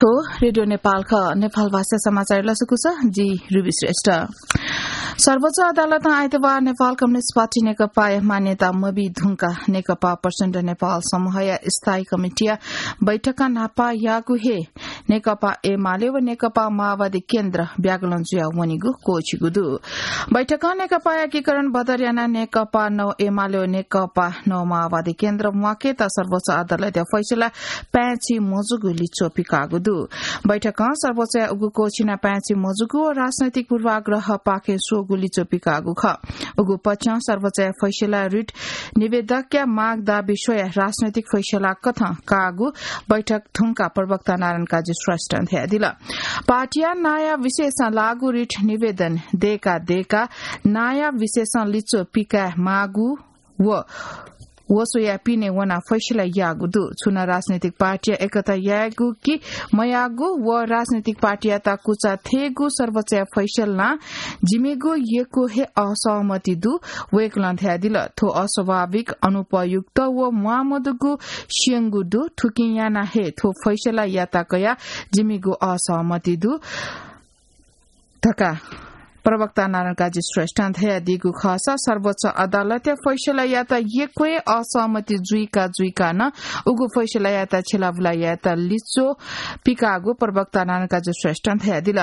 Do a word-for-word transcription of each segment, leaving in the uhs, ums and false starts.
थ्व रेडियो नेपाल खः। नेपाल भाषा समाचार लसकुस, जि रुबी श्रेष्ठ। सर्वोच्च अदालतं आइतबार नेपाल कम्युनिस्ट पार्टी नेकपाया मान्यता मबी धुंका नेकपा प्रचण्ड नेपाल समूहया स्थायी कमिटीया बैठकं न्हापा याःगु हे नेकपा एमाले व नेकपा माओवादी केन्द्र ब्यागलं जुया वनीगु क्वःछिगु दु। बैठकं नेकपा एकीकरण बदर यानाः नेकपा नौ एमाले व नेकपा नौ माओवादी केन्द्र म्वाकेत सर्वोच्च अदालतया फैसला पाय्‌छि मजूगु लिच्वः पिकाःगु दु। बैठकं सर्वोच्चया उगु क्वःछिना पाय्‌छि मजूगु व राजनैतिक पूर्वाग्रह पाखे स्वःगु लिच्वः पिकाःगु खः। उगु पक्षं सर्वोच्चया फैसला रिट निवेदकया माग दाबी स्वयाः राजनैतिक फैसला कथं काःगु बैठक धुंका प्रवक्ता नारायण काजी श्रेष्ठं धयादिल। पार्टीया नांया विषयसं लागू रिट निवेदन दय्‌का दय्‌का नांया विषयसं लिच्वः पिकाये माःगु व वसोया पिने वनाः फैसला याःगु दु। छुं नं राजनैतिक पार्टीया एकता यायेगु कि मयाःगु व राजनैतिक पार्टीयात कुचा थेःगु सर्वोच्चया फैसलां जिमिगु यक्व हे असहमति दु। वय्‌कलं धयादिल, थ्व अस्वाभाविक, अनुपयुक्त व म्वाःमदुगु स्यंगु दु। थुकिं यानाः हे थ्व फैसलायात कयाः जिमिगु असहमति दु धकाः प्रवक्ता नारायण काजी श्रेष्ठं धयादीगु खःसा सर्वोच्च अदालतया फैसलायात यक्व हे असहमति जुइका जुइका नं उगु फैसलायात छ्यलाबुला यायेत लिच्वः पिकाःगु प्रवक्ता नारायण काजी श्रेष्ठं धयादिल।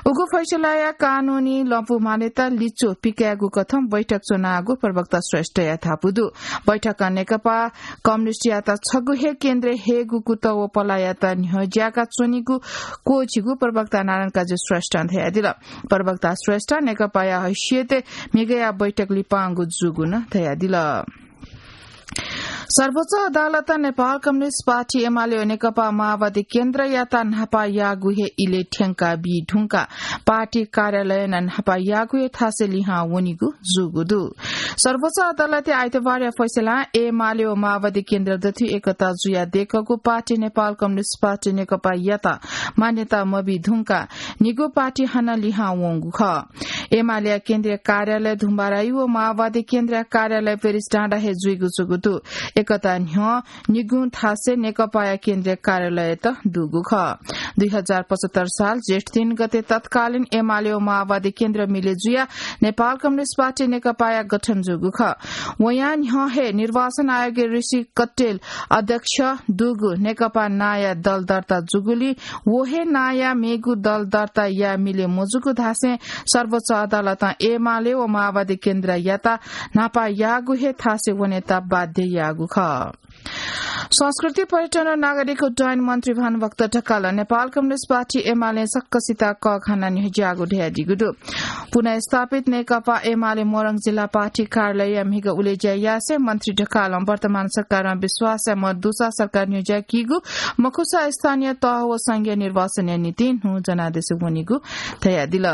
उगु फैसलाया कानूनी लँपु मान्यता लिच्वः पिकायेगु कथं बैठक च्वनाःगु प्रवक्ता श्रेष्ठया धापू दु। बैठकं नेकपा कम्युनिस्टयात छगू हे केन्द्रय् हयेगु कुतः व पलाःयात न्ह्यज्याका च्वनीगु क्वःछिगु प्रवक्ता नारायण काजी श्रेष्ठं धयादिल। प्रवक्ता श्रेष्ठ नेकपाया हैसियतय् म्हिगःया बैठक लिपांगु जूगु नं धयादिल। सर्वोच्च अदालतं नेपाल कम्युनिस्ट पार्टी एमाले व नेकपा माओवादी केन्द्रयात न्हापा याःगु हे इलय् थ्यंका बी धुंकाः पार्टी कार्यालयं नं न्हापा याःगु हे थासय् लिहां वनीगु जूगु दु। सर्वोच्च अदालतया आइतबारया फैसलां एमाले व माओवादी केन्द्र दथुइ एकता जुयाः दय्‌कूगु पार्टी नेपाल कम्युनिस्ट पार्टी नेकपायात मान्यता मबी धुंकाः निगू पार्टी हानं लिहां वंगु खः। एमालेया केन्द्रीय कार्यालय धुम्बाराही व माओवादी केन्द्रीय कार्यालय पेरिस डाँडा हे जुइगु जूगु दु। एकता न्ह्यः निगुं थासय् नेकपाया केन्द्रीय कार्यालयत दुगु खः। दुई हजार पचहत्तर साल जेठ तीन गते तत्कालीन एमाले व माओवादी केन्द्र मिले जुयाः नेपाल कम्युनिस्ट पार्टी नेकपाया गठन जूगु खः। वयां न्ह्यः हे निर्वाचन आयोगय् ऋषि कट्टेल अध्यक्ष दुगु नेकपा नांया दल दर्ता जूगुलिं व हे नांया मेगु दल दर्ता याये मिले मजूगु धासें सर्वोच्च अदालतं एमाले व माओवादी केन्द्रयात न्हापा याःगु हे थासय् वनेत बाध्य याःगु खः। संस्कृति, पर्यटन व नागरिक उड्डयन मन्त्री भानुभक्त ढकालं नेपाल कम्युनिस्ट पार्टी एमालें सकसित कःघानाः न्ह्यज्याःगु धयादीगु दु। पुनर्स्थापित नेकपा एमाले मोरङ जिल्ला पार्टी कार्यालयया म्हिगः उलेज्या यासें मन्त्री ढकालं वर्तमान सरकारं विश्वासय् मदुसा सरकार न्ह्यज्याकीगु मखुसा स्थानीय तह व संघीय निर्वाचनया निंतिं न्हू जनादेश वनीगु धयादिल।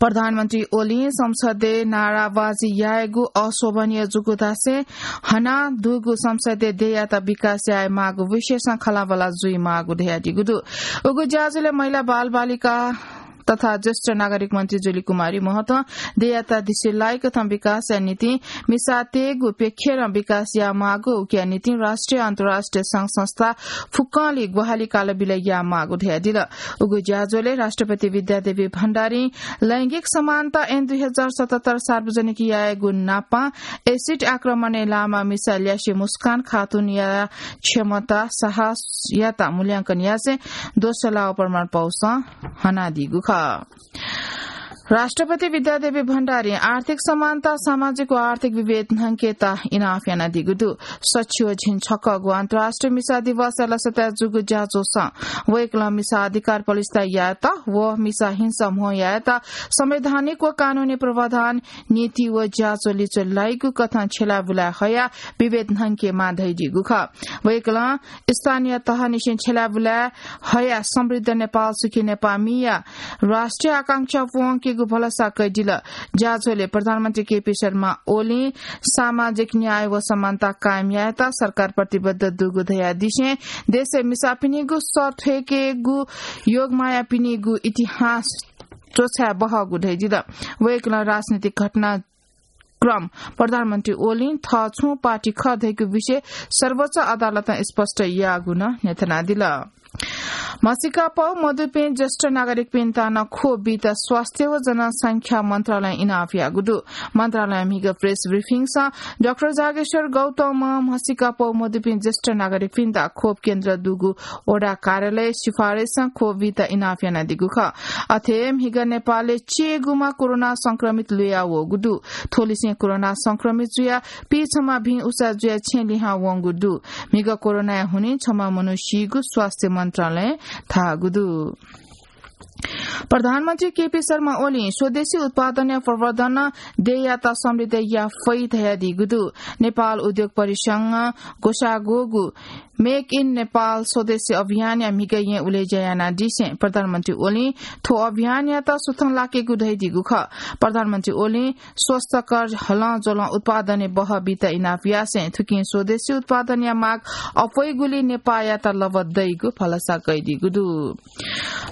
प्रधानमन्त्री ओलीं संसदय् नाराबाजी यायेगु अशोभनीय जूगु धासें हना दुगु संसदीय देय्‌यात विकास याये माःगु विषयसं खँल्हाबल्हा जुइ माःगु धयादीगु दु। उगु ज्याझ्वलय् महिला बालबालिका तथा ज्येष्ठ नागरिक मन्त्री जुली कुमारी महतं देय्‌यात दिसे लाइकथं विकासया निंतिं मिसातय्‌गु प्यखेरं विकास याये माःगु, उकिया निंतिं राष्ट्रिय अन्तर्राष्ट्रिय संघ संस्था फुक्कंलि ग्वाहालि कालबिल याये माःगु धयादिल। उगु ज्याझ्वलय् राष्ट्रपति विद्यादेवी भण्डारीं लैंगिक समानता ऐन दुई हजार सतहत्तर सार्वजनिक यायेगु नापं एसिड आक्रमणय् लाःम्ह मिसा ल्यासे मुस्कान खातुनया क्षमता साहसयात मूल्यांकन यासें दोषलाः प्रमाणपौसं हनादीगु खः। राष्ट्रपति विद्यादेवी भण्डारीं आर्थिक समानता, सामाजिक व आर्थिक विभेद न्हंकेत इनाप यानादीगु दु। सछि व झिंछक्वःगु अन्तर्राष्ट्रिय मिसा दिवसया लसताय् जूगु ज्याझ्वलय् वय्‌कलं मिसा अधिकार पलिस्था यायेत व मिसा हिंसा म्हो यायेत संवैधानिक व कानूनी प्रावधान, नीति व ज्याझ्वः लिच्वः लाइगु कथं छ्यलाबुलाय् हयाः विभेद न्हंकेमाः धयादीगु खः। वय्‌कलं स्थानीय तहनिसें छ्यलाबुलाय् हयाः समृद्ध नेपाल, सुखी नेपाःमिया राष्ट्रिय आकांक्षा प्वंकेगु भलसा कयादिल। ज्याझ्वलय् प्रधानमन्त्री केपी शर्मा ओलीं सामाजिक न्याय व समानता कायम यायेत सरकार प्रतिबद्ध दुगु धयादिसें देशय् मिसापिनिगु सः थ्वयेकेगु योगमायापिनिगु इतिहास च्वछाये बहःगु धयादिल। वय्‌कलं राजनीतिक घटना क्रम प्रधानमन्त्री ओलीं थः छुं पार्टी खः धइगु विषय सर्वोच्च अदालतं स्पष्ट याःगु नं न्ह्यथनादिल। म्हसीकापौ मदुपिं ज्येष्ठ नागरिकपिन्त नं खोप बीत स्वास्थ्य व जनसंख्या मन्त्रालयं इनाप याःगु दु। मन्त्रालयं म्हिगः प्रेस ब्रिफिङसं डाक्टर जागेश्वर गौतमं म्हसीकापौ मदुपिं ज्येष्ठ नागरिकपिन्त खोप केन्द्र दुगु वडा कार्यालय सिफारिसं खोप बीत इनाप यानादीगु खः। अथे म्हिगः नेपालय् चीगुमा कोरोना संक्रमित लुया वःगु दु। थ्वलिसें कोरोना संक्रमित जुया पीछम्ह भिं उसा जुया छेँ लिहां वंगु दु। म्हिगः कोरोनाया हुनिं छम्ह मनू सीगु स्वास्थ्य मन्त्रालयं धाःगु दु। प्रधानमन्त्री केपी शर्मा ओलीं स्वदेशी उत्पादनया प्रवर्धन देय्‌यात समृद्ध याये फइ धयादीगु दु। नेपाल उद्योग परिसंघं ग्वसाः ग्वःगु Make in Nepal स्वदेशी अभियानया म्हिगः येँ उलेज्या यानादिसें प्रधानमन्त्री ओलीं थ्व अभियानयात सुथं लाकेगु धयादीगु खः। प्रधानमन्त्री ओलीं स्वस्थकर हलंज्वलं उत्पादनय् बहः बीत इनाप यासें थुकिं स्वदेशी उत्पादनया माग अप्वइगुलिं नेपाःयात लभा दइगु भलसा कयादीगु दु।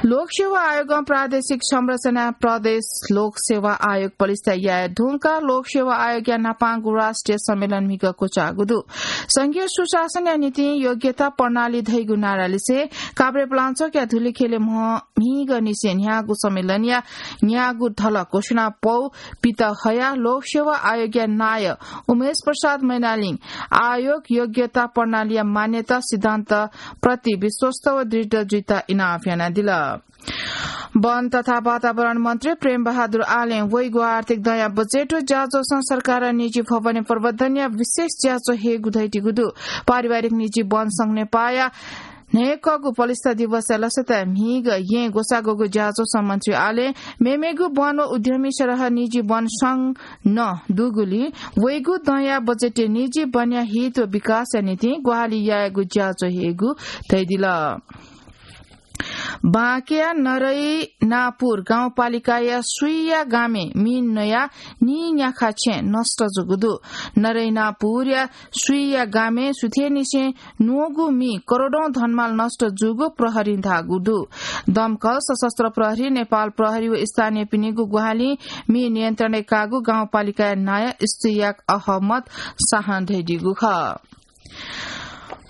लोकसेवा आयोगं प्रादेशिक संरचना प्रदेश लोकसेवा आयोग पलिस्था याये धुंकाः लोकसेवा आयोगया न्हापांगु राष्ट्रिय सम्मेलन म्हिगः क्वचाःगु दु। संघीय सुशासनया निंतिं योग्यता प्रणाली धइगु नारालिसें काभ्रेपलाञ्चोकया धुलिखेलय् म्ह-, म्हिगःनिसें न्ह्याःगु सम्मेलनया न्यागू धलः घोषणा पौ पित हयाः लोकसेवा आयोगया नायः उमेश प्रसाद मैनालीं आयोग योग्यता प्रणालीया मान्यता सिद्धान्त प्रति विश्वस्त व दृढ जुइत इनाप यानादिल। वन तथा वातावरण मन्त्री प्रेम बहादुर आलें वइगु आर्थिक दँया बजेट व ज्याझ्वलय् सरकारं निजी भवनया प्रवर्धनया विशेष ज्याझ्वः हयेगु धयादीगु दु। पारिवारिक निजी वन संघ नेपाःया न्हय्‌कःगु पलिस्था दिवसया लसताय् म्हिगः येँ ग्वसाः ग्वःगु ज्याझ्वलय् मन्त्री आलें मेमेगु वन व उद्यमी सरह निजी वन संघ नं दुगुलिं वइगु दँया बजेटय् निजी वनया हित व विकासया निंतिं ग्वाहालि यायेगु ज्याझ्वः हयेगु धयादिल। बाँकेया नरैनापुर गाउँपालिकाया सुइया गामय् मिं नयाः नीन्याखा छेँ नष्ट जूगु दु। नरैनापुरया सुइया गामय् सुथय्‌निसें न्वःगु मिं करोडौं धनमाल नष्ट जूगु प्रहरीं धाःगु दु। दमकल, सशस्त्र प्रहरी, नेपाल प्रहरी व स्थानीयपिनिगु ग्वाहालिं मिं नियन्त्रणय् काःगु गाउँपालिकाया नायः इस्तियाक अहमद शाहं धयादीगु खः।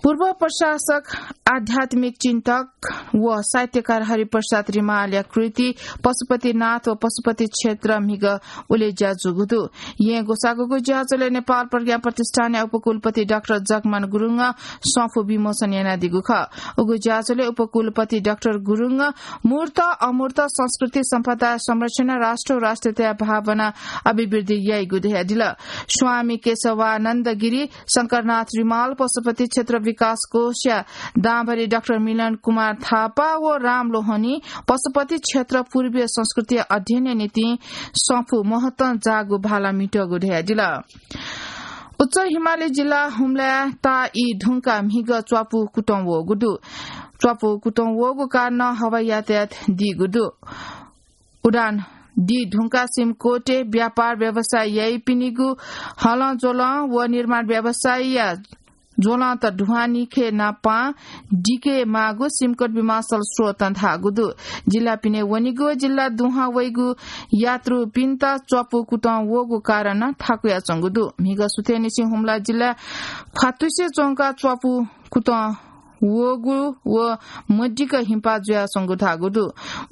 पूर्व प्रशासक, आध्यात्मिक चिन्तक व साहित्यकार हरिप्रसाद रिमालया कृति पशुपतिनाथ व पशुपति क्षेत्र म्हिगः उलेज्या जूगु दु। येँ ग्वसाः ग्वःगु ज्याझ्वलय् नेपाल प्रज्ञा प्रतिष्ठानया उपकुलपति डाक्टर जगमान गुरुङं सँफू विमोचन यानादीगु खः। उगु ज्याझ्वलय् उपकुलपति डाक्टर गुरुङं मूर्त अमूर्त संस्कृति सम्पदा संरक्षण, राष्ट्र व राष्ट्रियताया भावना अभिवृद्धि याइगु धयादिल। स्वामी केशवानन्द गिरी, शंकरनाथ रिमाल, पशुपति क्षेत्र विकास कोषया दांभरि डाक्टर मिलन कुमार थापा व राम लोहनी पशुपति क्षेत्र पूर्वीय संस्कृति अध्ययनया निंतिं सँफू महत्तं जाःगु भाला म्हितःगु धयादिल। उच्च हिमाली जिल्ला हुम्लाय् ताः ई धुंकाः म्हिगः च्वापु कुतं वःगु दु। च्वापु कुतं वःगु कारणं हवाई यातायात दीगु दु। उडान दी धुंकाः सिमकोटय् व्यापार व्यवसाय याइपिनिगु हलंज्वलं व निर्माण व्यवसायया ज्वलंत ढुवानीखे नापां दिके माःगु सिमकोट विमानस्थल स्रोतं धाःगु दु। जिल्ला पिने वनीगु व जिल्ला दुहां वइगु यात्रुपिन्त च्वापु कुतं वःगु कारणं थाकुयाच्वंगु दु। म्हिगः सुथय्‌निसें हुम्ला जिल्ला ख्वातुसे च्वंकाः च्वापु कुतं वःगु व मदिक्क हिंपा जुयाच्वंगु धाःगु दु।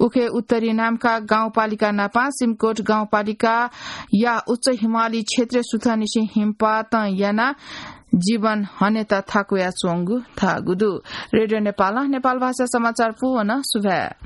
उखे उत्तरी नाम्खा गाउँपालिका नापां सिमकोट गाउँपालिकाया उच्च हिमाली क्षेत्रय् सुथंनिसें हिमपातं यानाः जीवन हनेत थाकुयाच्वंगु धाःगु दु। रेडियो नेपालं नेपाल भाषा समाचार पूवन सुभाय्।